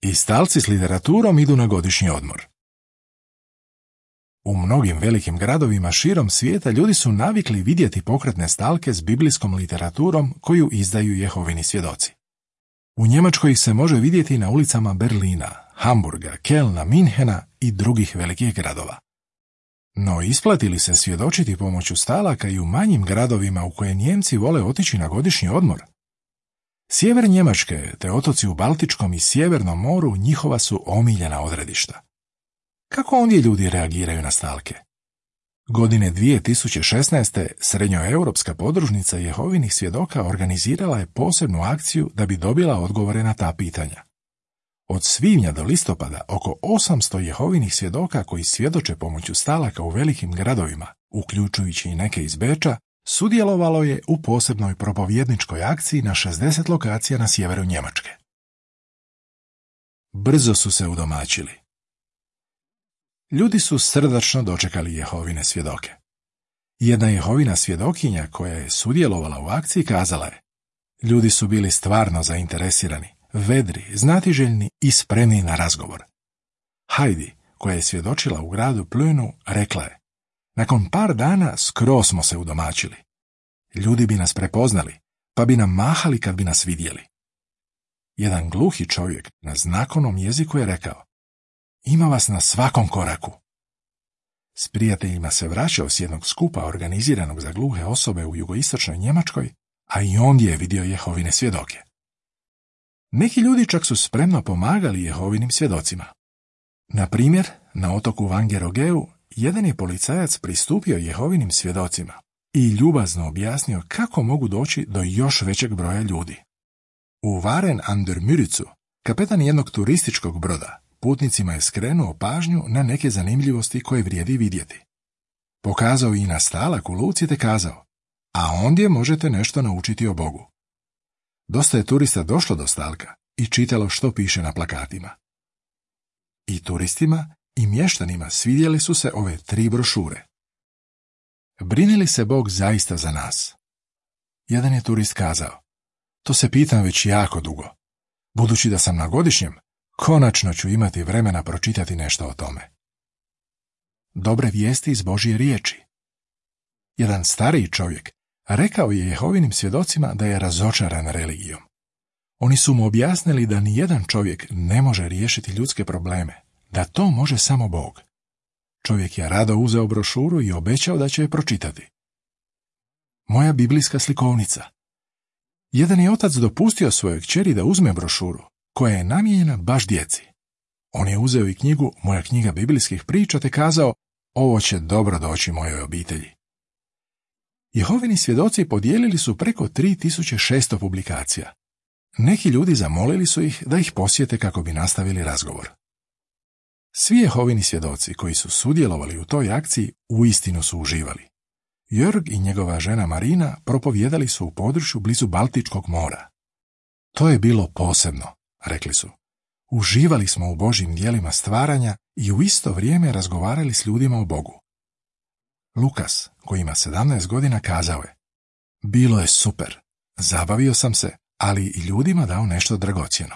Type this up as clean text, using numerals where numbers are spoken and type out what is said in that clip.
i stalci s literaturom idu na godišnji odmor. U mnogim velikim gradovima širom svijeta ljudi su navikli vidjeti pokretne stalke s biblijskom literaturom koju izdaju Jehovini svjedoci. U Njemačkoj ih se može vidjeti na ulicama Berlina, Hamburga, Kelna, Minhena i drugih velikih gradova. No isplati li se svjedočiti pomoću stalaka i u manjim gradovima u koje Nijemci vole otići na godišnji odmor? Sjever Njemačke te otoci u Baltičkom i Sjevernom moru njihova su omiljena odredišta. Kako ondje ljudi reagiraju na stalke? Godine 2016. Srednjoeuropska podružnica Jehovinih svjedoka organizirala je posebnu akciju da bi dobila odgovore na ta pitanja. Od svibnja do listopada oko 800 Jehovinih svjedoka koji svjedoče pomoću stalaka u velikim gradovima, uključujući i neke iz Beča, sudjelovalo je u posebnoj propovjedničkoj akciji na 60 lokacija na sjeveru Njemačke. Brzo su se udomaćili. Ljudi su srdačno dočekali Jehovine svjedoke. Jedna Jehovina svjedokinja koja je sudjelovala u akciji kazala je: ljudi su bili stvarno zainteresirani, vedri, znatiželjni i spremni na razgovor. Heidi, koja je svjedočila u gradu Plönu, rekla je: nakon par dana skroz smo se udomaćili. Ljudi bi nas prepoznali, pa bi nam mahali kad bi nas vidjeli. Jedan gluhi čovjek na znakovnom jeziku je rekao: ima vas na svakom koraku. S prijateljima se vraćao s jednog skupa organiziranog za gluhe osobe u jugoistočnoj Njemačkoj, a i ondje je vidio Jehovine svjedoke. Neki ljudi čak su spremno pomagali Jehovinim svjedocima. Na primjer, na otoku Vangerogeu jedan je policajac pristupio Jehovinim svjedocima i ljubazno objasnio kako mogu doći do još većeg broja ljudi. U Waren an der Müritzu, kapetan jednog turističkog broda, putnicima je skrenuo pažnju na neke zanimljivosti koje vrijedi vidjeti. Pokazao i na stalak u luci te kazao: a ondje možete nešto naučiti o Bogu. Dosta je turista došlo do stalka i čitalo što piše na plakatima. I turistima i mještanima svidjele su se ove 3 brošure. Brine li se Bog zaista za nas? Jedan je turist kazao: to se pitam već jako dugo. Budući da sam na godišnjem, konačno ću imati vremena pročitati nešto o tome. Dobre vijesti iz Božje riječi. Jedan stariji čovjek rekao je Jehovinim svjedocima da je razočaran religijom. Oni su mu objasnili da nijedan čovjek ne može riješiti ljudske probleme, da to može samo Bog. Čovjek je rado uzeo brošuru i obećao da će je pročitati. Moja biblijska slikovnica. Jedan je otac dopustio svojoj kćeri da uzme brošuru, koja je namijenjena baš djeci. On je uzeo i knjigu Moja knjiga biblijskih priča te kazao: ovo će dobro doći mojoj obitelji. Jehovini svjedoci podijelili su preko 3600 publikacija. Neki ljudi zamolili su ih da ih posjete kako bi nastavili razgovor. Svi Jehovini svjedoci koji su sudjelovali u toj akciji uistinu su uživali. Jörg i njegova žena Marina propovijedali su u području blizu Baltičkog mora. To je bilo posebno, rekli su. Uživali smo u Božjim djelima stvaranja i u isto vrijeme razgovarali s ljudima o Bogu. Lukas, koji ima 17 godina, kazao je: bilo je super, zabavio sam se, ali i ljudima dao nešto dragocjeno.